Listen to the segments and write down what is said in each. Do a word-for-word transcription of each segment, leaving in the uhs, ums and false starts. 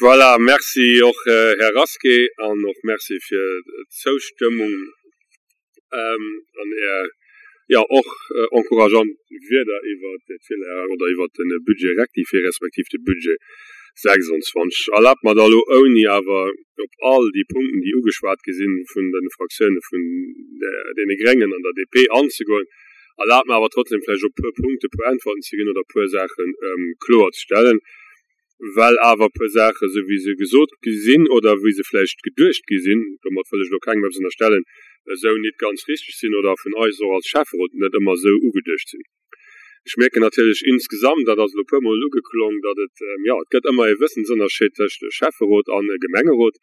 Voilà, merci och, Här Rasqué, an och merci fir d'Zoustëmmung an Är, jo, och encourageant Wierder iwwert d'Filière oder iwwert de Budget rectifié respektiv de Budget sechsundzwanzeg. Erlaabt mer da elo, ouni awer op all déi Punkten, déi ugeschwat gi sinn vun de Fraktioune vun deene Gréngen an der D P, anzegoen, erlaabt mer awer trotzdem vläicht op e puer Punkte e puer Äntwerten ze ginn oder e puer Saache kloerzestellen, well awer e puer Saachen, esou wéi se gesot gi sinn oder wéi se vläicht geduecht gi sinn, domat wëll ech elo kengem eppes ënnerstellen, esou nit ganz richteg sinn oder vun eis och als Schäfferot net ëmmer esou ugeduecht sinn. Ech mierken natierlech insgesamt, dat ass elo e puermol ugeklong, datt et, jo, et gëtt ëmmer e Wëssensënnerscheed tëscht Schäfferot a Gemengerot,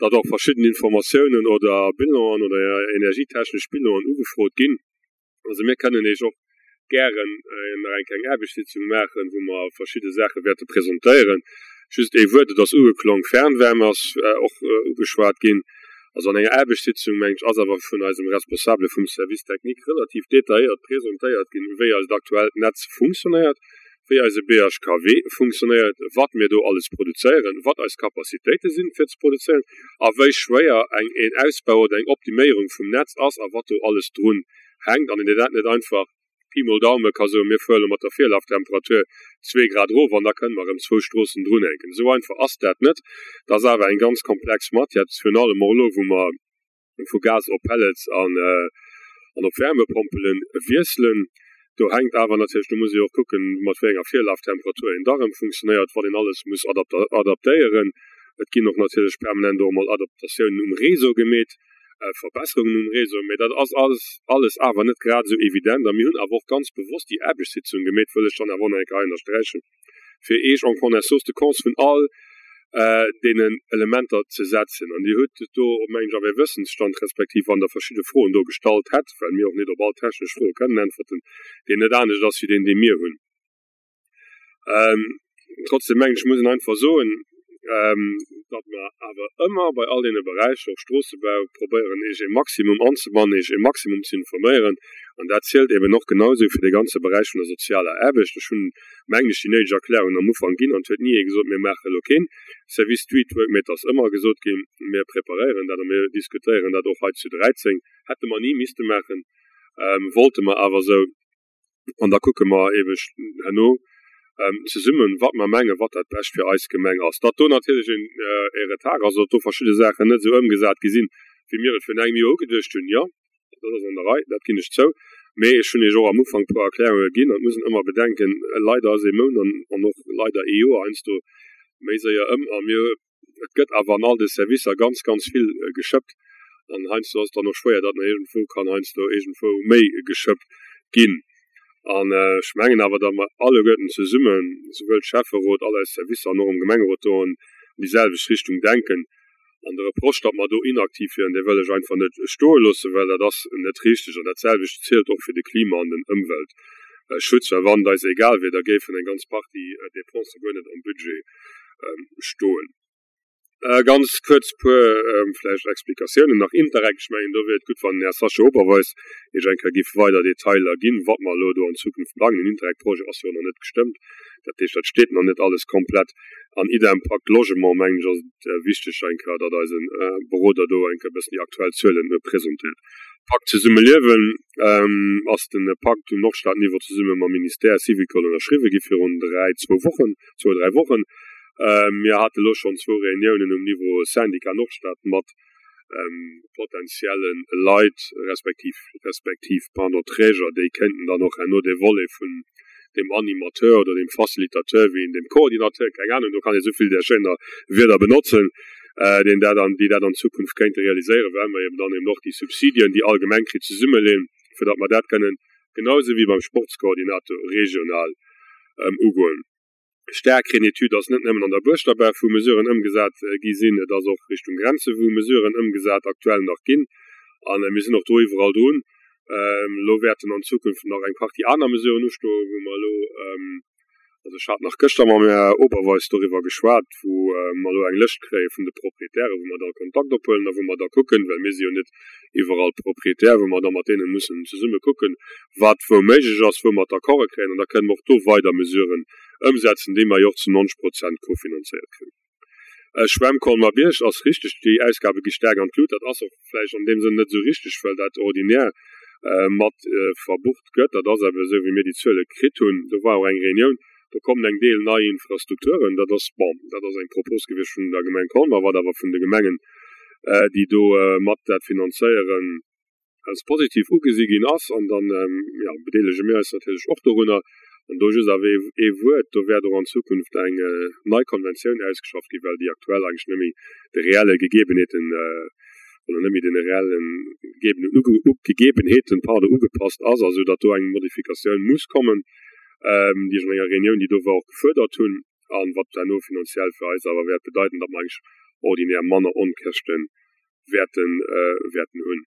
datt och verschidden Informatiounen oder Bilanen oder energietechnesch Bilanen ugefrot ginn. Also mir kënnen Iech och gären nach eng kleng Aarbechtssitzung maachen, wou mer verschidde Saache wäerte presentéieren. Just ee Wuert, et ass ugeklong, Fernwärme ass och ugeschwat ginn. Also an enger Aarbechtssitzung, meng ech, ass awer vun eisem Responsabele vum Service technique relativ detailléiert presentéiert ginn, wéi eist aktuellt Netz funktionéiert, wéi eise B H K W funktionéiert, wat mir do alles produzéieren, wat eis Capacitéite sinn, fir ze produzéieren, a wéi schwéier eng een Ausbau oder eng Optiméierung vum Netz ass a wat do alles drun hänkt. An een dat net einfach Pi mol Daume ka soen, mir fuere mat der Virlaftemperatur zwee Grad erof an da kënne mer erëm zwou Stroossen drunhänken. Esou einfach ass dat net. Dat ass awer eng ganz komplex Matière, virun allem och elo, wou mer vu Gas op Pellets an an op Wärmepompele wiesselen. Do hänkt awer natierlech, do muss ee och kucken, mat wéi enger Virlaftemperatur een da erëm funktionéiert, wat een alles muss adaptéieren. Et ginn och natierlech permanent och emol Adaptatiounen um Réseau gemeet, Verbesserungen um Réseau, mee dat ass alles alles awer net grad esou evident. A mir hunn awer och ganz bewosst déi Aarbechtssitzung gemeet, wëll ech dann awer och nach eng Kéier hei ënnersträichen, fir Iech en connaissance de cause vun all deenen Elementer ze setzen. An Dir hutt do, mengen ech, awer e Wëssensstand, respektiv wann Der verschidde Froen do gestallt hätt, well mir och net op all technesch Froe kënnen äntwerten, deen net anescht ass wéi deen, dee mir hunn. Trotzdem mengen ech, muss een einfach soen, datt mer awer ëmmer bei all deene Beräicher, och Stroossebau, probéieren, Iech e Maximum anzebannen, Iech e Maximum ze informéieren. An dat zielt eben och genausou fir dee ganze Beräich vun der sozialer Aarbecht. Ech hunn, mengen ech, déi néideg Erklärungen am Ufank ginn an et huet ni ee gesot, mir maache elo keen Service Streetwork, mee et ass ëmmer gesot ginn, mir preparéieren dat a mir diskutéieren dat och hei zu dräizéng. Hätte mer ni misste maachen, wollte mer awer esou. An da kucke mer ebe herno zesummen, wat mer mengen, wat dat Bescht fir eis Gemeng ass. Datt do natierlech e Retard ass, datt do verschidde Saachen net esou ëmgesat gi sinn, wéi mir et virun engem Joer ugeduecht hunn, jo, dat ass an der Rei, dat ginn ech zou. Mee ech hunn Iech och am Ufank e puer Erklärunge ginn an et muss een ëmmer bedenken, leider ass ee Mount an och leider ee Joer heiansdo méi séier ëm a mir, et gëtt awer an all de Servicer ganz, ganz vill geschëppt an heiansdo ass et dann och schwéier, datt nach iergendwou kann heiansdo iergendwou méi geschëppt ginn. An ech mengen awer, datt mer alleguerten zesummen, souwuel Schäfferot, all eis Servicer an och am Gemengerot do an déi selwecht Richtung denken. An de Reproche, datt mer do inaktiv wieren, dee wëll ech einfach net stoe loossen, well dat ass net richteg. An dat selwecht zielt och fir de Klima an den Ëmweltschutz, well wann et eis egal wier, da géifen eng ganz Partie Dépense guer net am Budget stoen. Ganz kuerz puer vläicht Explikatiounen nach. Interreg, ech mengen, do wier et gutt, wann den Här Sascha Oberweis Iech eng Kéier giff weider Detailer ginn, wat mer elo do an Zukunft plangen. Den Interreg-Projet ass jo nach net gestëmmt, dat heescht, dat steet nach net alles komplett. An idem Pacte Logement, mengen ech, ass et wichteg eng Kéier, datt eise Beroder do eng Kéier e bëssen déi aktuell Zuelen presentéiert. Pakt Zesumme Liewen ass de Pakt um Nordstadniveau zesumme mam Ministère Syvicol ënnerschriwwe gi virun dräi, zwou Wochen, zwou, dräi Wochen. Mir hate lo schonn zwou Reuniounen um Niveau Syndicat Nordstad mat potenzielle Leit, respektiv respektiv pardon, Träger, déi kéinten dann och herno dee Volet vun dem Animateur oder dem Facilitateur, wéi een dem Coordinateur, keng Ahnung, do kann ee souvill där schéiner Wierder benotzen, deen dat an déi dat an Zukunft kéinte realiséieren, well mer eben dann eben och déi Subsidien, déi all Gemeng kritt, zesummeleeën, fir datt mer dat kënnen genausou wéi beim Sportskoordinator regional ugoen. Staarkreen Etüd ass net nëmmen an der Buerschterbaach, wou Mesuren ëmgesat gi sinn, et ass och Richtung Grenze wou Mesuren ëmgesat aktuell nach ginn an mir sinn och do iwwerall drun. Elo wäerten an Zukunft nach eng Partie aner Mesuren ustoen, wou mer elo, also ech hat nach gëschter mam Här Oberweis doriwwer geschwat, wou mer elo eng Lëscht kréie vun de Proprietären, wou mer da Kontakt ophuelen a wou mer da kucken, well mir si jo net iwwerall Proprietär, wou mer da mat deene mussen zesumme kucken, wat wou méiglech ass, wou mer d'Accorde kréien an da kënnen mer och do weider Mesuren ëmsetzen, déi mer jo och zu neunzeg Prozent kofinanzéiert kréien. Schwämm Colmar-Bierg ass richteg, déi Ausgabe gi staark an d'Lut. Dat ass och vläicht an deem Sënn net esou richteg, well dat ordinär mat verbucht gëtt. Dat ass awer esou, wéi mir déi Zuele kritt hunn. Do war och eng Reunioun, do kommen eng Deel nei Infrastrukturen. Dat ass, bon, dat ass eng Propos gewiescht vun der Gemeng Colmar, wat awer vun de Gemengen, déi do mat dat finanzéieren, als positiv ugesi ginn ass. An dann, jo, bedeelege mir eis natierlech och dorunner. An do just awer ee Wuert, Do wäert och an Zukunft eng nei Konventioun ausgeschafft ginn, well déi aktuell eigentlech net méi de reelle Gegebenheeten oder net méi deene reelle Gegebenheeten, pardon, ugepasst ass, a sou datt do eng Modifikatioun muss kommen, déi ech an enger Reunioun, déi do war, och gefuerdert hunn, a wat herno finanziell fir eis awer wäert bedeiten, datt mer eigentlech ordinär manner Onkäschte wäerten wäerten hunn.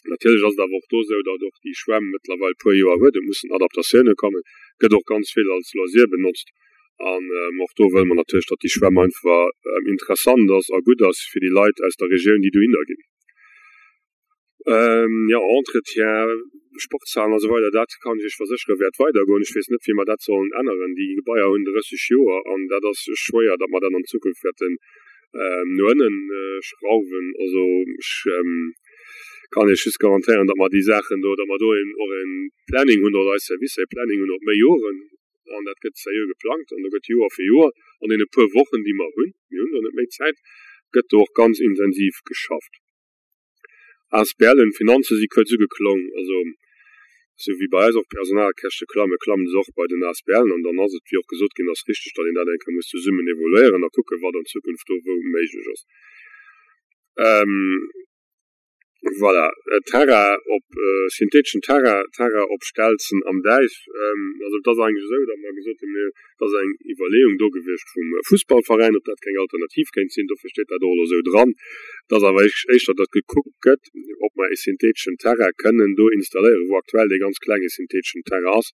Natierlech ass et awer och do esou, datt och déi Schwämm mëttlerweil e puer Joer huet. Et mussen Adaptatioune kommen. Et gëtt och ganz vill als Loisir benotzt. An och do wëlle mer natierlech, datt déi Schwämm einfach interessant ass a gutt ass fir déi Leit aus der Regioun, déi dohinner ginn. Jo, Entretien, Sportshalen a sou weider, dat kann ech Iech versécheren, wäert weidergoen. Ech weess net, wéi mer dat sollen änneren. Déi Gebaier hunn drësseg Joer an dat ass schwéier, datt mer dat an Zukunft wäerten no ënnen schrauwen. Also ech kann Iech just garantéieren, datt mer déi Saachen do, datt mer do een och e Planning hunn, oder eis Servicer e Planning hunn op méi Joren an dat gëtt seriö geplangt an do gëtt Joer fir Joer an deene puer Wochen, déi mer hunn, mir hunn do net méi Zäit, gëtt do och ganz intensiv geschafft. Asblen, Finanze si kuerz ugeklong, also esou wéi bei eis och d'Personalkäschte klammen, klammen se och bei den Asblen an dann ass et, wéi och gesot ginn ass, richteg, datt een dat eng Kéier muss zesummen evoluéieren a kucken, wat an Zukunft do wou méiglech ass. Voilà, Terrain op, syntheteschen Terrain, Terrain op Stelzen am Däich. Also et ass eigentlech esou, datt mer gesot hunn, mir, et ass eng Iwwerleeung do gewiescht vum Fussballveräin, ob dat keng Alternativ kéint sinn. Dofir steet dat och elo esou dran. Et ass awer éischter, datt gekuckt gëtt, ob mer e syntheteschen Terrain kënnen do installéieren, wou aktuell dee ganz klenge syntheteschen Terrain ass,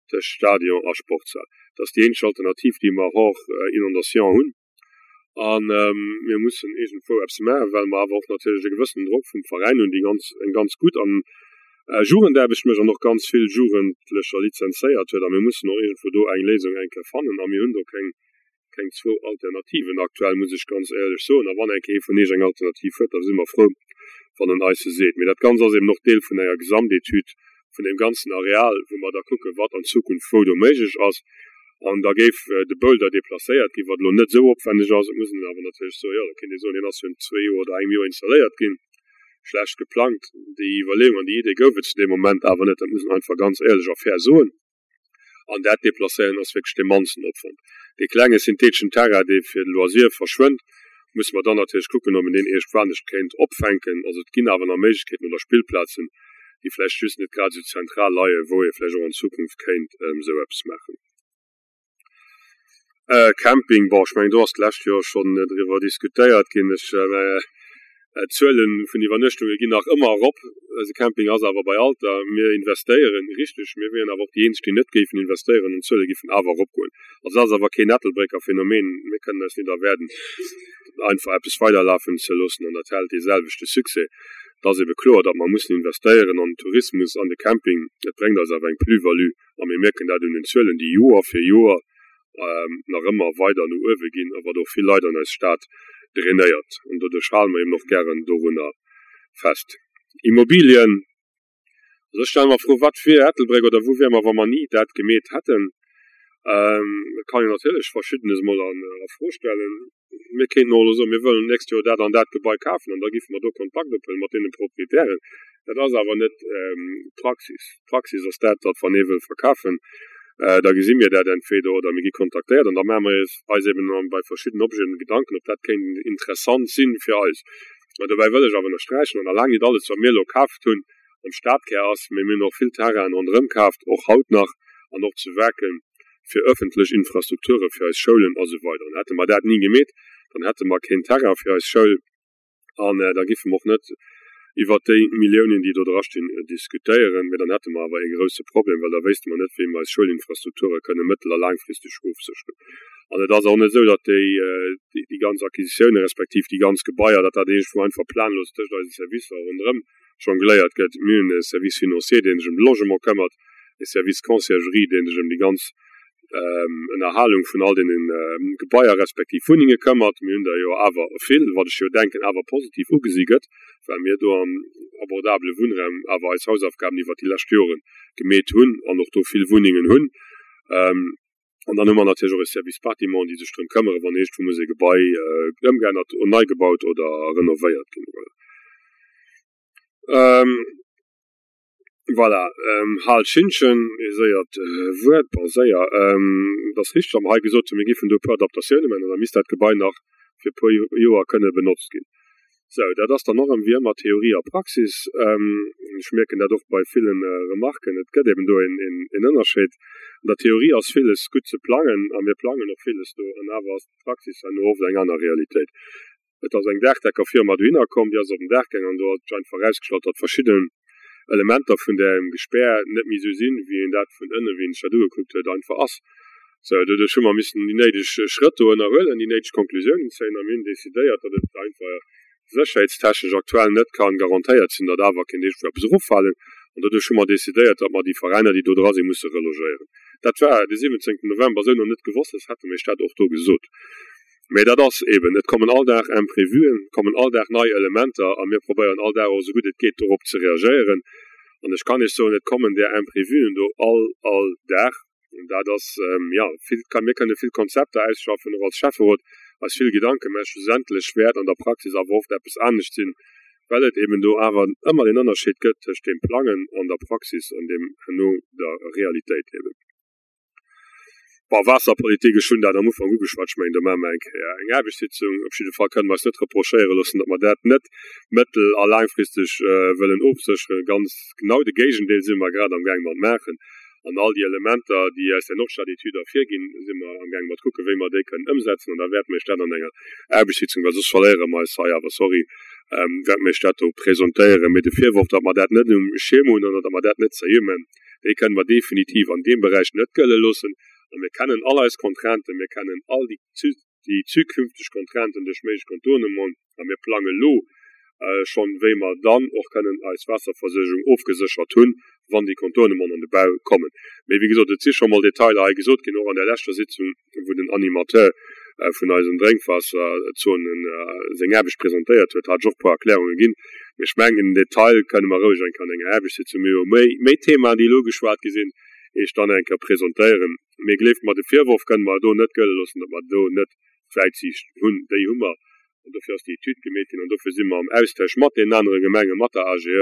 tëscht Stadion a Sportshal. Dat ass déi eenzeg Alternativ, déi mer hors inondation hunn. A mir mussen iergendwou eppes maachen, well mer awer och natierlech e gewëssenen Drock vum Veräin hunn, déi ganz, eng ganz gutt an Jugendaarbecht mécht an och ganz vill Jugendlecher lizenzéiert huet. A mir mussen och iergendwou do eng Léisung eng Kéier fannen. A mir hunn do keng, keng zwou Alternativen aktuell, muss ech ganz éierlech soen. A wann eng Kéier ee vun Iech eng Alternativ huet, da si mer frou, wann en eis se seet. Mee dat Ganzt ass eben och Deel vun enger Gesamtetüd vun deem ganzen Areal, wou mer da kucken, wat an Zukunft wou do méiglech ass. An da géif de Boulder deplacéiert ginn, wat elo net esou opwänneg ass. Et muss een awer natierlech soen, jo, da kéint ee soen, deen ass virun zwee Joer oder engem Joer installéiert ginn, schlecht geplangt. Déi Iwwerleeung an déi Idee gouf et zu deem Moment awer net. Dat muss een einfach ganz éierlech a fair soen. An dat Deplacéieren ass wierklech dee mannsten Opwand. Dee klenge syntheteschen Terrain, dee fir de Loisir verschwënnt, musse mer dann natierlech kucken, ob een deen iergendwanescht kéint opfänken. Also et ginn awer nach Méiglechkeeten oder Spillplazen, déi vläicht just net grad esou zentral leien, wou ee vläicht och an Zukunft kéint esou eppes maachen. Camping, bon, ech mengen, do ass d'lescht Joer schonn driwwer diskutéiert ginn. Ech, d'Zuele vun Iwwernuechtunge ginn nach ëmmer erop. Eise Camping ass awer bei Alter. Mir investéieren, richteg, mir wieren awer och déi eenzeg, déi net géifen investéieren an d'Zuele géifen awer eropgoen. Also dat ass awer keen Ettelbrécker Phänomen. Mir kënnen eis nit erwäerden, einfach eppes weiderlafen ze loossen an dat hält dee selwechte Succès. Et ass ebe kloer, datt mer mussen investéieren an den Tourismus, an de Camping. Et bréngt eis awer eng Plus-value a mir mierken dat un den Zuelen, déi Joer fir Joer nach ëmmer weider no uewe ginn a wat och vill Leit an eis Stad drainéiert. An doduerch hale mer eben och gären dorunner fest. Immobilien, also ech stelle mer d'Fro, Wat wier Ettelbréck oder wou wiere mer, wa mer ni dat gemeet hätten? Et kann een natierlech Verschiddenes emol a Fro stellen. Mir kéinten och elo soen, mir wëllen d'nächst Joer dat an dat Gebai kafen an da giffe mer do Kontakt ophuelen mat deene Proprietären. Dat ass awer net d'Praxis. D'Praxis ass dat, datt wann ee wëll verkafen, da gesi mir dat entweder oder mir gi kontaktéiert an da maache mer eis eben bei verschiddenen Objeten Gedanken, ob dat kéint interessant si fir eis. Mä dobäi wëll ech awer ënnersträichen, an a laang nit alles, wat mir elo kaaft hunn, am Stadkär ass, mee mir hunn och vill Terrainen ronderëm kaaft, och haut nach an och zu Waarken, fir öffentlech Infrastrukture fir eis Schoulen a sou weider. An hätte mer dat ni gemeet, dann hätte mer keen Terrain fir eis Schoul an da giffe mer och net iwwert déi Milliounen, déi do drastinn, diskutéieren. Mee dann hätte mer awer ee grouse Problem, well da wéisste mer net, wéi mer eis Schoulinfrastrukture kënne mëttel a laangfristeg ofsécheren. An et ass och net esou, datt déi, déi ganz Acquisitiounen respektiv déi ganz Gebaier, datt dat iergendwou einfach planlos tëscht eise Servicer ronderëm jongléiert gëtt. Mir hunn e Service financier, dee sech ëm de Logement këmmert, e Service Conciergerie, dee sech ëm déi ganz Ënnerhalung vun all deene Gebaier respektiv Wunnenge këmmert. Mir hunn der jo awer vill, wat ech jo denken awer positiv ugesi gëtt, well mir do am abordabele Wunnraum awer eis Hausaufgaben iwwert déi lescht Jore gemeet hunn an och do vill Wunnengen hunn. An dann hu mer natierlech och e Service Bâtiment, déi sech drëm këmmere wann iergendwou muss e Gebai ëmgeännert, nei gebaut oder renovéiert ginn. Voilà. Voilà, Hal Schintgen, ee séiert Wuert, bon séier, et ass richteg, wat mer hei gesot hunn, mir géifen do e puer Adaptatioune maachen an da misst dat Gebai nach fir e puer Joer kënne benotzt ginn. Sou, dat ass dann och erëm wéi ëmmer Theorie a Praxis. Ech mierken dat och bei ville Remarken, et gëtt eben do een Ënnerscheed. An der Theorie ass villes gutt ze plangen a mir plangen och villes do, an awer ass d'Praxis herno oft eng aner Realitéit. Et ass eng Daachdeckerfirma dohinner komm, déi ass op den Daach gaang an do ass sech einfach erausgestallt, datt verschidden Elementer vun däem Gespär net méi esou sinn, wéi een dat vun ënnen, wéi een sech dat ugekuckt huet, einfach ass. Sou, doduerch hu mer missen déi néideg Schrëtt do ënnerhuelen, déi néideg Konklusiounen zéien a mir hunn decidéiert, datt et einfach sécherheetstechnesch aktuell net ka garantéiert sinn, datt awer kéint iergendwou eppes eroffalen. An doduerch hu mer decidéiert, datt mer déi Veräiner, déi do dra sinn, musse relogéieren. Dat war de siwwenzéngten November esou nach net gewosst, soss hätte mir iech dat och do gesot. Mä dat ass eben, et kommen all Dag Imprévuen, et kommen all Dag nei Elementer a mir probéieren all Dag och esou gutt et geet dorop ze reagéieren. An ech kann Iech soen, et kommen där Imprévuen do all, all Dag. An dat ass, jo, vill, mir kënne vill Konzepter ausschaffen, och als Schäfferot eis vill Gedanke mä schlussendlech wäert an der Praxis awer oft eppes anescht sinn, well et eben do awer ëmmer deen Ënnerscheed gëtt tëscht deem Plangen an der Praxis an deem herno der Realitéit eben. Bon, Waasserpolitik, ech hunn dat am Ufank ugeschwat, ech mengen, do maache mer eng Kéier eng Aarbechtssitzung. Op jidde Fall kënne mer eis net reprochéiere loossen, datt mer dat net mëttel a laangfristeg wëllen ofsécheren. Ganz genau de Géigendeel si mer grad amgaang mat maachen. An all déi Elementer, déi aus där Nordstad-Etüd ervirginn, si mer amgaang mat kucken, wéi mer déi kënnen ëmsetzen. An da wäerte mer Iech dat an enger Aarbechtssitzung, well soss verléiere mer eis hei awer, sorry, wäerte mer Iech dat do presentéieren. Mee de Virworf, datt mer dat net um Schierm hunn oder datt mer dat net seriö maachen, dee kënne mer definitiv an deem Beräich net gëlle loossen. A mir kennen all eis Contrainten, mir kennen all déi déi zukünfteg Contrainten duerch méiglech Contournementen a mir plange lo schonn, wéi mer dann och kënnen eis Waasserversuergung ofgeséchert hunn, wann déi Contournementen an de Bau kommen. Mee wéi gesot, et si scho mol Detailer hei gesot ginn, och an där leschter Sitzung, wou den Animateur vun eisen Drénkwaasserzonen seng Aarbecht presentéiert huet, hat ech och e puer Erklärunge ginn. Mee ech mengen, den Detail kënne mer roueg eng Kéier an enger Aarbechtssitzung, mir hu jo méi, méi Themaen, déi elo ugeschwat gi sinn, Iech dann eng Kéier presentéieren. Mee gleeft mer, de Virworf kënne mer do net gëlle loossen, datt mer do net d'Wäitsiicht hunn. Déi hu mer, an dofir ass déi Etüd gemeet ginn an dofir si mer am Austausch mat deenen anere Gemengen, mat der AGE,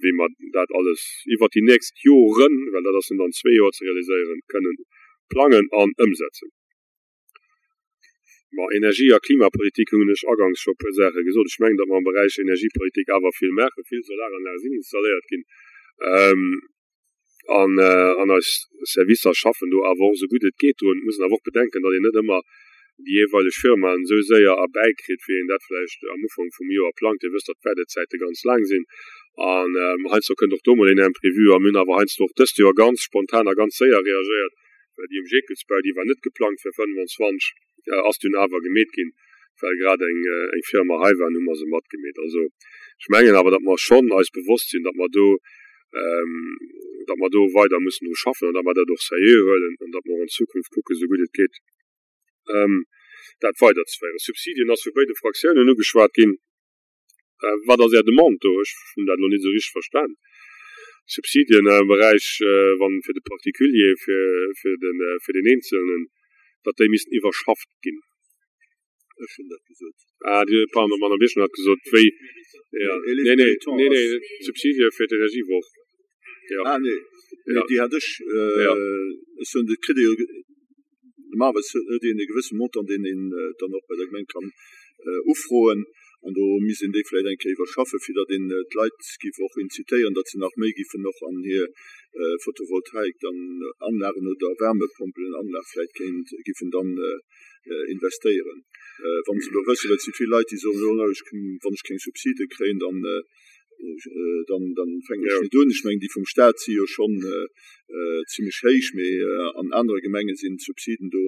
wéi mer dat alles iwwert déi nächst Joren, well dat ass net an zwee Joer ze realiséieren, kënnen plangen an ëmsetzen. Bon, Energie a Klimapolitik hunn ech aganks scho e puer Saache gesot. Ech mengen, datt mer am Beräich Energiepolitik awer vill maachen. Vill Solaranlage sinn installéiert ginn an, an eis Servicer schaffen do awer och esou gutt et geet drun. Et muss een awer och bedenken, datt een net ëmmer déi jeeweileg Firmaen esou séier erbäikritt, wéi een dat vläicht am Ufank vum Joer plangt. Dir wësst, datt d'Waardezäite ganz laang sinn an heiansdo kënnt och do mol een Imprévu. A mir hunn awer heiansdo och dëst Joer ganz spontan a ganz séier reagéiert, well déi um Jekelsbau, déi war net geplangt fir fënnwanzwanzeg, ass dunn awer gemeet ginn, well grad eng eng Firma hei war, an hu mer se matgemeet. Also ech mengen awer, datt mer schonn eis bewosst sinn, datt mer do, datt mer do weider mussen dru schaffen an datt mer dat och seriö huelen an datt mer och an Zukunft kucken, esou gutt et geet, dat weiderzeféieren. Subsidien ass vu béide Fraktiounen ugeschwat ginn. Wat ass Är Demande do? Ech hunn dat elo net esou richteg verstan. Subsidien am Beräich, wann fir de Particulier, fir, fir den, fir den Eenzelnen, datt déi missten iwwerschafft ginn. Ech hunn dat gesot. Ah, Dir, pardon, d'Madame Birchen hat gesot, wéi, jo, nee, nee, nee, nee, d'Subsidie fir d'Energiewoch, jo. Ah, nee, nee, déi hat ech, ech soen, dat kritt ee jo. Normalerweis huet een e gewësse Montant, deen een dann och bei der Gemeng kann ufroen. An do misst een déi vläicht eng Kéier iwwerschaffen, fir datt een d'Leit géif och incitéieren, datt se nach méi géifen och an hir Photovoltaik dann Anlagen oder Wärmepompelenanlag vläicht kéint géifen dann investéieren. Wa se elo wëssen, well et si vill Leit, déi soen, jo, ech, wann ech keng Subside kréien, dann dann, dann fänken ech net un. Ech mengen, déi vum Staat si jo schonn zimlech héich, mee an anere Gemenge sinn d'Subsiden do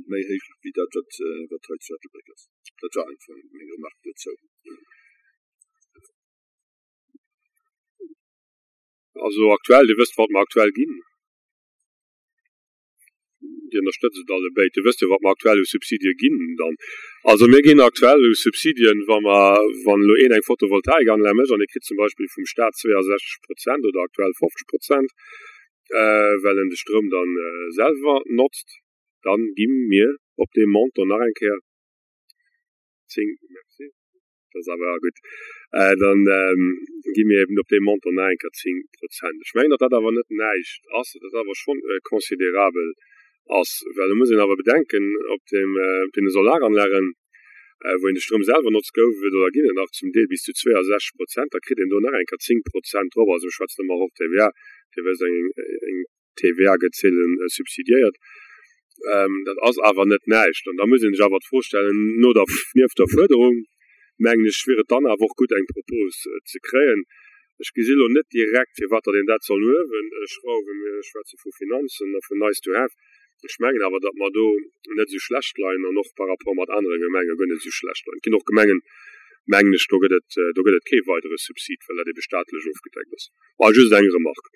méi héich wéi dat, wat, wat hei zu Ettelbréck ass. Dat war einfach meng Remarque dozou. Also aktuell, Dir wësst, wat mer aktuell ginn. Dir ënnerstëtzt et allebéid. Dir wësst jo, wat mer aktuell u Subsidie ginn dann. Also mir ginn aktuell u Subsidien, wa mer, wann elo een eng Photovoltaikanlag mécht an e kritt zum Beispill vum Stat zweeasechzeg Prozent oder aktuell fofzeg Prozent, well en de Stroum da selwer notzt, dann gi mir op deem Montant nach eng Kéier zéng, merci, dat ass awer gutt, dann gi mir eben op deem Montant nach eng Kéier zéng Prozent. Ech mengen, datt dat awer net näischt ass, datt dat awer schonn considerabel ass, well do muss een awer bedenken, op deem, op deene Solaranlagen, wou een de Stroum selwer notzt, gouf et oder ginn et nach zum Deel bis zu zweeasechzeg Prozent, da kritt een do nach eng Kéier zéng Prozent drop. Also ech schwätzen ëmmer och T V A, Dir wësst, eng, eng T V A gëtt seelen subsidiéiert. Dat ass awer net näischt. An da muss ee sech awer d'Fro stellen, no der, nieft der Fuerderung, mengen ech, wier et dann awer och gutt, eng Propos ze kréien. Ech gesi lo net direkt, firwat datt een dat soll no uewen schrauwen. Mir schwätze vu Finanzen a vun nice to have. Ech mengen awer, datt mer do net esou schlecht leien an och par rapport mat anere Gemenge guer net esou schlecht leien. Et ginn och Gemengen, mengen ech, do gëtt et, do gëtt et kee weidere Subsid, well dat ebe staatlech ofgedeckt ass. Bon, just eng Remarque.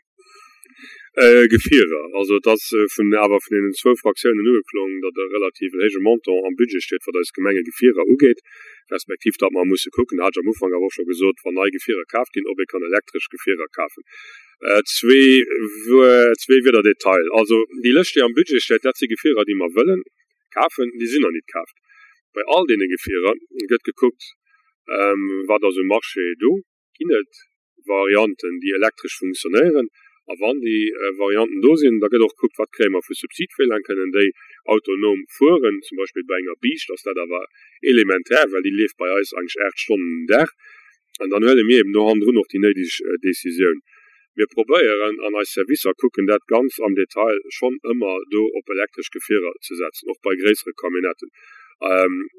Gefierer, also et ass vun awer vun deenen zwou Fraktiounen ugeklong, datt e relativ héije Montant am Budget steet, wat eis Gemengegefierer ugeet, respektiv datt mer musse kucken, dat hat ech am Ufank awer och scho gesot, wann nei Gefierer kaaft ginn, ob ee kann elektresch Gefierer kafen. Zwee zwee Wierder Detail, also déi Lëscht, déi am Budget steet, dat si Gefierer, déi mer wëllen kafen, déi sinn nach nit kaaft. Bei all deene Gefierer gëtt gekuckt, wat ass um Marché do, ginn et Varianten, déi elektresch funktionéieren. A wann déi Varianten do sinn, da gëtt och gekuckt, wat kréie mer vu Subsid, wéi laang kënnen déi autonom fueren. Zum Beispill bei enger Biischt ass dat awer elementär, well déi leeft bei eis eigentlech aacht Stonnen den Dag. An dann huele mir eben do hannendrun och déi néideg Decisioun. Mir probéieren an eis Servicer kucken dat ganz am Detail schonn ëmmer do op elektresch Gefierer ze setzen, och bei gréissere Camionnetten,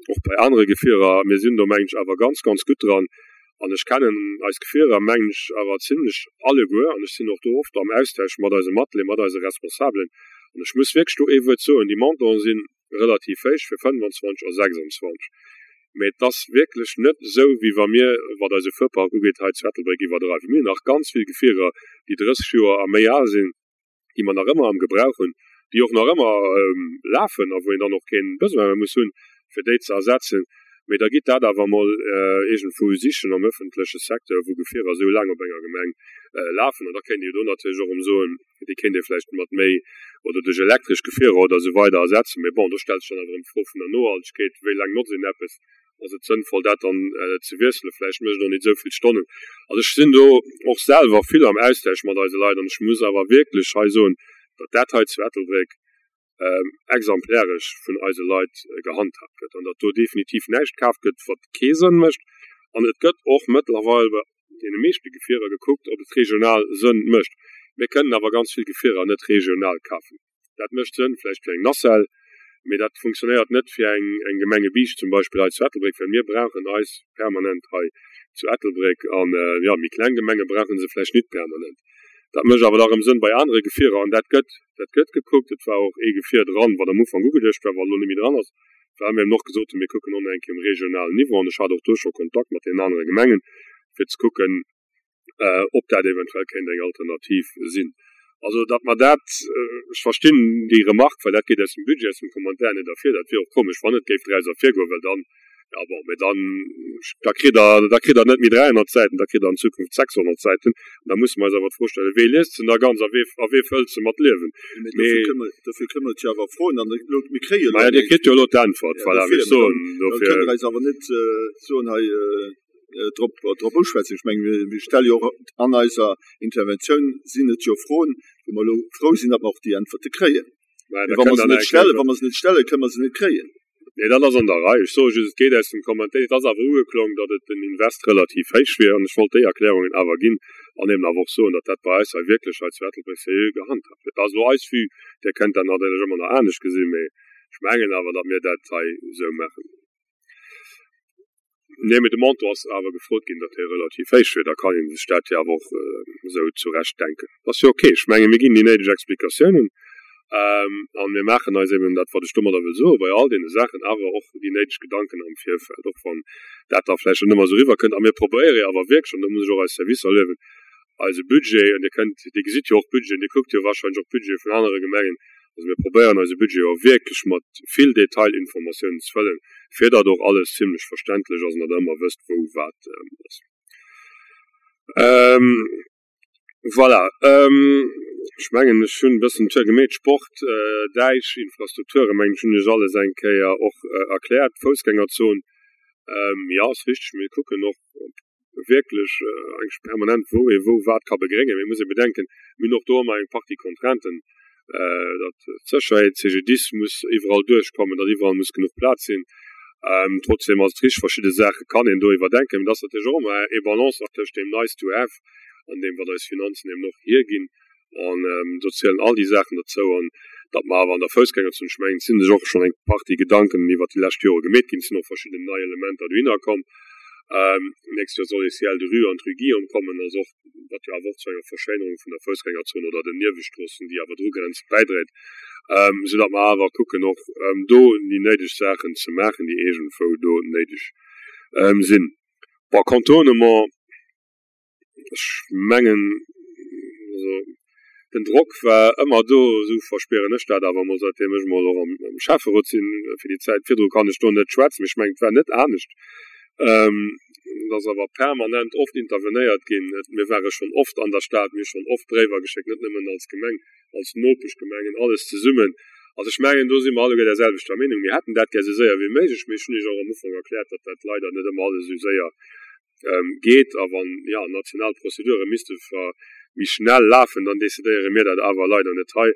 och bei anere Gefierer. Mir sinn do, mengen ech, awer ganz, ganz gutt dran. An ech kennen eis Gefierer, mengen ech, awer zimlech alleguer an ech sinn och do oft am Austausch mat eise Matleeër, mat eise Responsabelen. An ech muss wierklech do ee Wuert soen, Déi Montanten si relativ héich fir fënnwanzwanzeg a sechsanzwanzeg, mee et ass wierklech net esou, wéi wa mir, wat eise Fuerpark ugeet, hei zu Ettelbréck iwwerdreiwen. Mir hunn nach ganz vill Gefierer, déi drësseg Joer a méi al sinn, déi mer nach ëmmer am Gebrauch hunn, déi och nach ëmmer lafen a wou een dann och kee Besoin méi muss hunn, fir déi ze ersetzen. Mee da gitt dat awer emol iergendwou sichen am öffentleche Secteur, wou Gefierer esou laang op enger Gemeng lafen. An da kéint ee jo do natierlech och erëm soen, déi kéint ee vläicht mat méi oder duerch elektresch Gefierer oder esou weider ersetzen. Mee bon, do stellt sech dann awer erëm d'Fro vun der Nohaltegkeet, Wéi laang notzt een eppes? Ass et sënnvoll, dat dann ze wiesselen? Vläicht mécht et och nit esou vill Stonnen. Also ech sinn do och selwer vill am Austausch mat eise Leit an ech muss awer wierklech hei soen, datt dat hei zu Ettelbréck exemplaresch vun eise Leit gehandhaabt gëtt an datt do definitiv näischt kaf gëtt, wat kee Sënn mécht. An et gëtt och mëttlerweil bei deene meeschte Gefierer gekuckt, ob et regional Sënn mécht. Mir kënnen awer ganz vill Gefierer net regional kafen. Dat mécht Sënn vläicht fir eng Nacelle, mee dat funktionéiert net fir eng eng Gemengebiischt zum Beispill hei zu Ettelbréck, well mir brauchen eis permanent hei zu Ettelbréck an, jo, méi kleng Gemenge brauche se vläicht nit permanent. Dat mécht awer da erëm Sënn bei anere Gefierer an dat gëtt dat gëtt gekuckt. Et war och ee Gefier dran, wat am Ufank ugeduecht war, wat elo net méi dran ass, well mir eben och gesot hunn, mir kucken och nach eng Kéier um regionalen Niveau an ech hat och do scho Kontakt mat deenen anere Gemengen, fir ze kucken, ob dat eventuell kéint eng Alternativ sinn. Also, datt mer dat, ech verstinn déi Remarque, well dat geet aus dem Budget, aus dem Commentaire net ervir. Dat wier och komesch, wann et géif draus ervirgoen, well dann, jo bon, mä dann, da kritt Der, da kritt Der net méi dräihonnert Säiten, da kritt Der an Zukunft sechshonnert Säiten. An da musse mer eis awer d'Fro stellen, Wee liest se da ganz a wee, a wee fëllt se mat Liewen? Mä dofir kënne mer, dofir kënne mer et jo awer froen an elo, mir kréie jo elo Maja, Dir kritt jo elo d'Äntwert, voilà, wéi ech soen, dofir. Da kënnt Der eis awer net soen hei, drop drop uschwätzen. Ech mengen, mir stelle jo och an eiser Interventioun sinn et jo Froen, wou mer elo frou sinn, datt mer och déi Äntwerte kréien. Mä wa mer se net stellen, wa mer se net stellen, kënne mer se net kréien. Nee, dat ass an der Rei. Ech soe just, et geet aus dem Commentaire, et ass awer ugeklong, datt et den Invest relativ héich wier. An ech wollt déi Erklärungen awer ginn an eben awer och soen, datt dat bei eis hei wierklech hei zu Ettelbréck seriö gehandhaabt gëtt. Dat ass elo eis Vue. Dir kënnt dat natierlech ëmmer nach anescht gesinn, mä ech mengen awer, datt mir dat hei esou maachen. Nee, mee de Montant ass awer gefrot ginn, datt dee relativ héich wier. Da kann ee sech dat jo awer och esou zurecht denken. Dat ass jo ok. Ech menge mir ginn déi néideg Explikatiounen a mir maachen eis eben, dat wat ech domadder wëll soen, bei all deene Saachen awer och déi néideg Gedanken am Virfeld, och wann dat da vläicht net ëmmer esou eriwwerkënnt. A mir probéiere jo awer wierklech, an do muss ech och eis Servicer luewen, eise Budget, an Dir kënnt, Dir gesitt jo och Budgeten, Dir kuckt jo wahrscheinlech och Budgete vun anere Gemengen, Also mir probéieren eise Budget jo wierklech mat vill Detailinformatiounen ze fëllen, fir datt och alles zimlech verständlech ass an datt Der ëmmer wësst, wou wat ass. Voilà, ech mengen, ech hunn e bëssen d'Tour gemeet. Sport, Däich, Infrastrukturen, mengen ech, hunn ech alles eng Kéier och erkläert. D'Foussgängerzon, jo, ass richteg, mir kucken och wierklech eigentlech permanent, wou ee wou wat ka begréngen. Mee et muss ee bedenken, mir hunn och do ëmmer eng Partie Contrainten, datt d'Sécherheet, CGDIS muss iwwerall duerchkommen, datt iwwerall muss genuch Plaz sinn. Trotzdeem ass et richteg, verschidde Saache kann een do iwwerdenken. Mee et ass natierlech och ëmmer ee Balanceakt tëscht deem nice to have an deem, wat eis Finanzen eben och hierginn. An do zielen all déi Saachen dozou. An datt mer awer an der Foussgängerzon, ech mengen, et si sech och schonn eng Partie Gedanken iwwert déi lescht Jore gemeet ginn, et sinn och verschidden nei Elementer dohinner komm. D'nächst Joer soll ee Ciel de rue an d'Rue Guillaume kommen, also och, wat jo awer och zu enger Verschéinerung vun der Foussgängerzon oder den Niewestroossen, déi awer drugrenzen, bäidréit, soudatt mer awer kucken och do déi néideg Saachen ze maachen, déi iergendwou do néideg sinn. Bon, Contournement. Ech mengen, also den Drock war ëmmer do, esou verspieren ech dat awer emol, säitdeem ech emol och am Schäfferot sinn. Fir déi Zäit virdru kann ech do net schwätzen, mee ech mengen, et war net anescht. Et ass awer permanent oft intervenéiert ginn. Mir ware schonn oft an der Stad, mir hu schonn oft Bréiwer geschéckt, net nëmmen als Gemeng, als Nopeschgemengen, alles zesummen. Also ech mengen, do si mer alleguer där selwechter Meenung. Mir hätten dat gär esou séier wéi méiglech, mee ech hunn Iech och am Ufank erkläert, datt dat leider net ëmmer alles esou séier geet a wann, jo, national Prozedure misste méi schnell lafen, dann decidéiere mir dat awer leider net hei.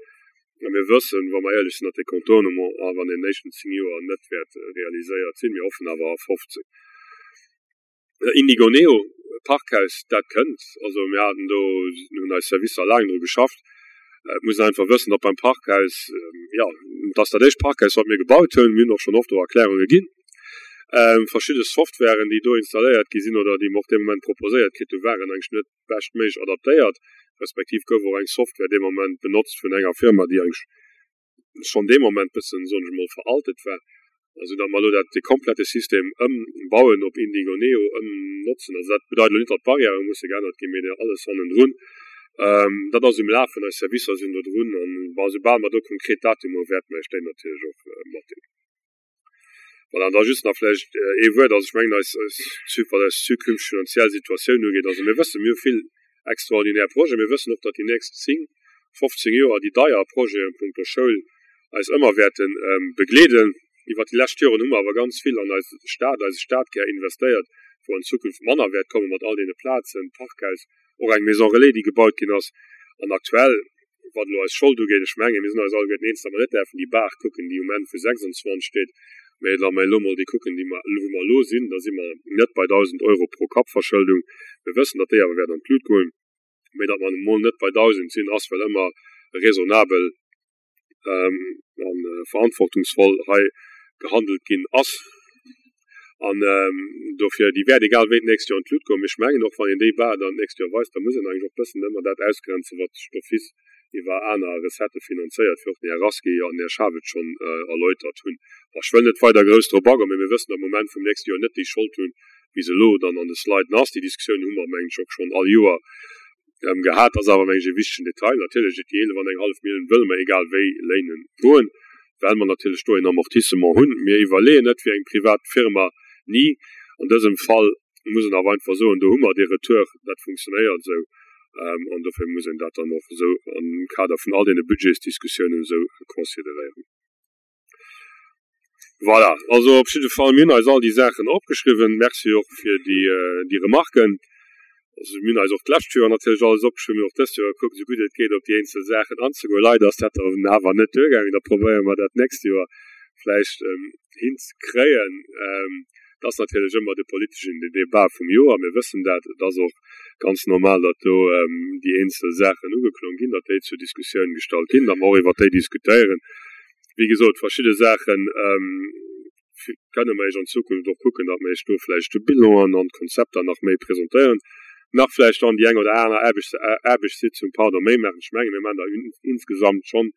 A mir wëssen, wa mer éierlech sinn, datt dee Contournement awer an deenen éischten zéng Joer net wäert realiséiert sinn. Mir hoffen awer a fofzéng. Indigo Neo, Parkhaus, dat kënnt. Also mir haten do, hunn eis Servicer laang dru geschafft. Et muss een einfach wëssen, datt beim Parkhaus, jo, et ass dat éischt Parkhaus, wat mir gebaut hunn. Mir hunn och schonn oft do Erklärunge ginn. Verschidde Softwaren, déi do installéiert gi sinn oder déi mer och dee Moment proposéiert kritt hunn, waren eigentlech net beschtméiglech adaptéiert, respektiv gouf och eng Software dee Moment benotzt vun enger Firma, déi eigentlech schonn dee Moment bëssen, soen ech emol, veraltet war. Esou datt mer elo dat, dee komplette System ëmbauen, op Indigo Neo ëmnotzen. Also dat bedeit elo net, datt d'Barrièrë musse geännert ginn, mee alles hannendrun. Dat ass um Lafen, eis Servicer sinn do drun an, bon, soubal mer do konkret Datumer hu wäerte mer Iech déi natierlech och matdeelen. Voilà, an da just nach vläicht ee Wuert, also ech mengen eis, eis, wat eis zukünfteg finanziell Situatioun ugeet, also mir wëssen, mir hu vill extraordinär Projeten, mir wëssen och, datt déi nächst zéng, fofzéng Joer déi deier Projeten punkto Schoul eis ëmmer wäerte begleeden. Iwwert déi lescht Joren hu mer awer ganz vill an eis Stad, eise Stadkär investéiert, wou an Zukunft manner wäert komme mat all deene Plazen, Parkhaus, och eng Maison relais, déi gebaut ginn ass. An aktuell, wat elo eis Schold ugeet, ech mengen, mir sinn eis alleguerten eens, datt mer net däerfen déi Bar kucken, déi um Enn vu sechsundzwanzeg steet, mä wa mer elo emol déi kucken, déi mer, wou mer elo sinn, da si mer net bei dausend Euro pro Kapp Verschëldung. Mir wëssen, datt déi awer wäert an d'Lut goen, mä datt mer emol net bei dausend sinn, ass well ëmmer raisonnabel a verantwortungsvoll hei gehandelt ginn ass. An dofir, déi wäert egal wéi d'nächst Joer an d'Lut goen. Mee ech mengen och, wann een déi Bar dann d'nächst Joer weist, da muss een eigentlech och bëssen ëmmer dat ausgrenzen, wat sech d'office iwwer aner Recettë finanzéiert, wéi och den Här Rasqué an den Här Schaaf et schonn erläutert hunn. Bon, ech wëll net weider grouss drop agoen, mee mir wëssen, datt mer um Enn vum nächste Joer net déi Schold hunn, wéi se elo dann an de Sliden ass. Déi Diskussioun hu mer, mengen ech, och schonn all Joer gehat. Ass awer, mengen ech, e wichtegen Detail. Natierlech, déi eelef an eng hallef Millioun wëlle mer egal wéi léinen goen, well mer natierlech do een Amortissement hunn. Mir iwwerleeën net wéi eng privat Firma, ni. An dësem Fall muss een awer einfach soen, do hu mer dee Retour, dat funktionéiert esou an dofir muss een dat dann och esou am Kader vun all deene Budgetsdiskussiounen esou consideréieren. Voilà, also op jidde Fall, mir hunn eis all déi Saachen opgeschriwwen. Merci och fir déi, déi Remarken. Also mir hunn eis och d'lescht Joer natierlech alles opgeschriwwen, mir hunn och dëst Joer gekuckt, esou gutt et geet, op déi eenzel Saachen anzegoen. Leider ass dat dann awer net duergaangen. Da probéiere mer dat d'nächst Joer vläicht hinzekréien. Et ass natierlech ëmmer de politeschen Debat vum Joer, mir wëssen dat. Et ass och ganz normal, datt do déi eenzel Saachen ugeklong ginn, datt déi zur Diskussioun gestallt ginn, datt mer och iwwert déi diskutéieren. Wéi gesot, verschidde Saachen kënne mer Iech an Zukunft och kucken, datt mer Iech do vläicht de Bilanen an d'Konzepter nach méi presentéieren, nach vläicht dann déi eng oder aner Aarbechtssitzung, pardon, méi maachen. Ech menge mir maachen der insgesamt schonn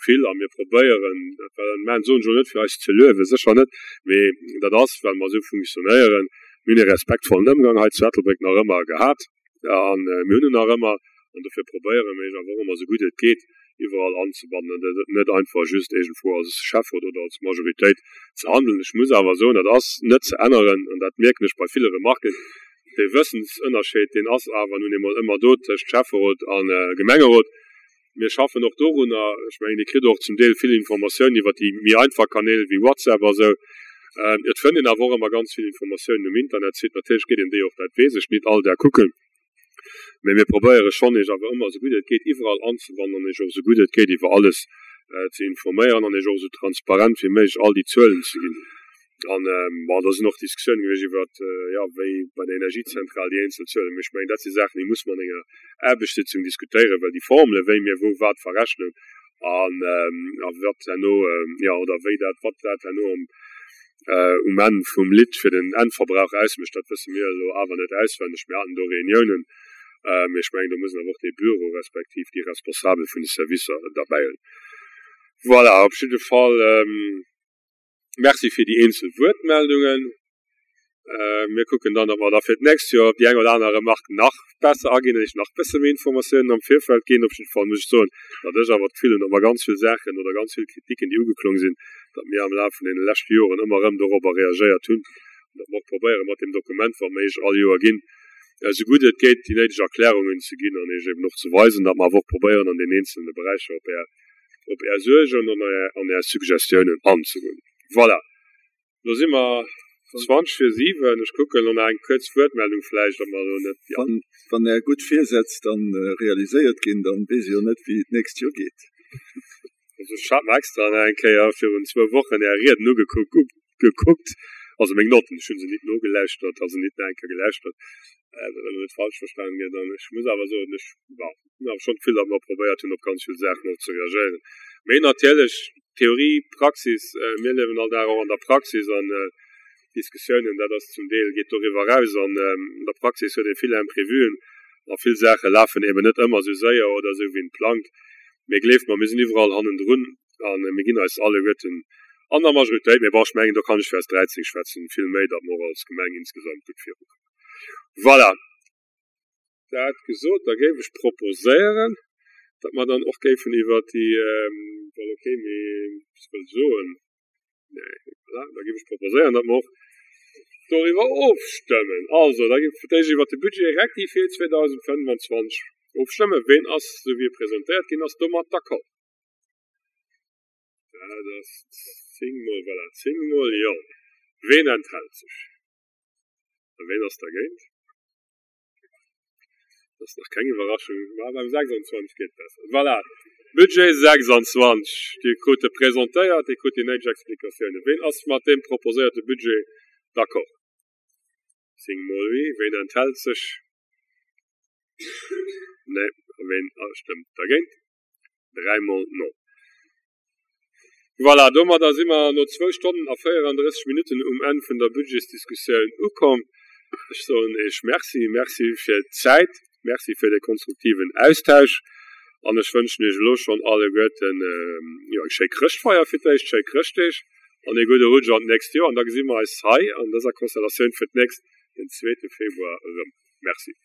vill a mir probéieren, well mir soen ech elo net fir eis ze luewen, sécher net, mee dat ass well mer esou funktionéieren. Mir hunn e respektvollen Ëmgang hei zu Ettelbréck nach ëmmer gehat a mir hunn en nach ëmmer an dofir probéiere mir awer och ëmmer esou gutt et geet iwwerall anzebannen an dat net einfach just iergendwou als Schäfferot oder als Majoritéit ze handeln. Ech muss awer soen, dat ass net ze änneren an dat mierken ech bei ville Remarken, dee Wëssensënnerscheed, deen ass awer nun eemol ëmmer do tëscht Schäfferot a Gemengerot. Mir schaffen och dorunner. Ech mengen, Dir kritt och zum Deel vill Informatiounen iwwert déi méi einfach Kanäl wéi WhatsApp a sou. Et fënnt een awer och ëmmer ganz vill Informatiounen um Internetsite. Natierlech geet een déi och, dat weess ech, nit all Dag kucken. Mee mir probéiere schonn, Iech awer ëmmer esou gutt et geet iwwerall anzebannen an Iech och esou gutt et geet iwwer alles ze informéieren an Iech och esou transparent wéi méiglech all déi Zuelen ze ginn. An, bon, do sinn och Diskussiounen gewiescht iwwer, jo, wéi bei der Energiezentral déi eenzel Zuelen. Mee ech mengen, dat si Saachen, déi muss mer an enger Aarbechtssitzung diskutéieren, well déi Formele wéi mir wou wat verrechnen an a wat herno, jo, oder wéi dat, wat dat herno am um Enn vum Lidd fir den Endverbrauch ausmécht, dat wësse mir elo awer net auswenneg. Mir haten do Reuniounen, mee ech mengen, do muss een awer och dee Büro respektiv déi Responsabel vun de Servicer derbäi hunn. Voilà, op jidde Fall Merci fir déi eenzel Wuertmeldungen. Mir kucken dann, datt mer da fir d'nächst Joer op déi eng oder aner Remarque nach besser aginn an Iech nach bësse méi Informatiounen am Virfeld ginn. Op jidde Fall muss ech soen, datt ech awer d'Gefill hunn, datt mer ganz vill Saachen oder ganz vill Kritiken, déi ugeklong sinn, datt mir am Laf vun deene leschte Joren ëmmer erëm dorobber reagéiert hunn an datt mer och probéieren, mat deem Dokument, wat mer Iech all Joer ginn, esou gutt et geet déi néideg Erklärungen ze ginn an Iech eben och ze weisen, datt mer awer och probéieren, an deenen eenzelne Beräicher op Är, op Är Suergen an Är, an Är Suggestiounen anzegoen. Voilà, lo si mer zwanzeg vir siwen. Ech kucken elo nach eng kuerz Wuertmeldung vläicht, ob mer elo net, jo. Wann, wann Är gutt Virsätz dann realiséiert ginn, dann weess ee jo net, wéi et d'nächst Joer geet. Also ech hat mer extra nach eng Kéier virun zwou Wochen Är Rieden ugekuckt, gekuckt, also meng Notten, ech hu se nit nogelauschtert, also nit nach eng Kéier gelauschtert, dat elo net falsch verstanen gëtt. An ech muss awer soen, ech, bon, hunn awer schonn d'Gefill, datt mer probéiert hunn, op ganz vill Saachen och ze reagéieren. Mee natierlech, Theorie, Praxis, mir liewen all Dag och an der Praxis an Diskussiounen, dat ass zum Deel, geet doriwwer eraus. An der Praxis huet ee vill Imprévuen a vill Saache lafen eben net ëmmer esou séier oder esou, wéi een plangt. Mee gleeft mer, mir sinn iwwerall hannendrun a mir ginn eis alleguerten an der Majoritéit, mee bon, ech mengen, do kann ech fir eis dräizéng schwätzen, vill méi, datt mer och als Gemeng insgesamt gutt virukommen. Voilà. Dat gesot, da géif ech proposéieren, datt mer dann och géifen iwwert déi, well ok, mee ech wëll soen, nee, voilà, da géif ech proposéieren, datt mer och doriwwer ofstëmmen. Also, da gi fir d'éischt iwwert de Budget rectifié zweedausendfënnwanzwanzeg ofstëmmen. Ween ass, esou wéi e presentéiert ginn ass, domat d'accord? Dat ass zéng mol, voilà, zéng mol jo. Ween enthält sech? A ween ass dergéint? Dat ass nach keng Iwwerraschung, ma beim sechsanzwanzeg geet et besser. Voilà, Budget sechsanzwanzeg, Dir krut e presentéiert, Dir krut déi néideg Explikatiounen. Ween ass mat deem proposéierte Budget d'accord? Zéng mol oui. Ween enthält sech? Nee. A ween stëmmt dergéint? Dräi mol non. Voilà, domadder si mer no zwou Stonnen a véierandrësseg Minutten um Enn vun der Budgetsdiskussioun ukomm. Ech soen Iech Merci, Merci fir d'Zäit, Merci fir de konstruktiven Austausch an ech wënschen Iech elo schonn alleguerten, jo, eng schéi Chrëschtfeier fir d'éischt, schéi Chrëschtdeeg an ee gudde Rutsch an d'nächst Joer. An da gesi mer eis hei an dëser Konstellatioun fir d'nächst den zweete Februar erëm. Merci.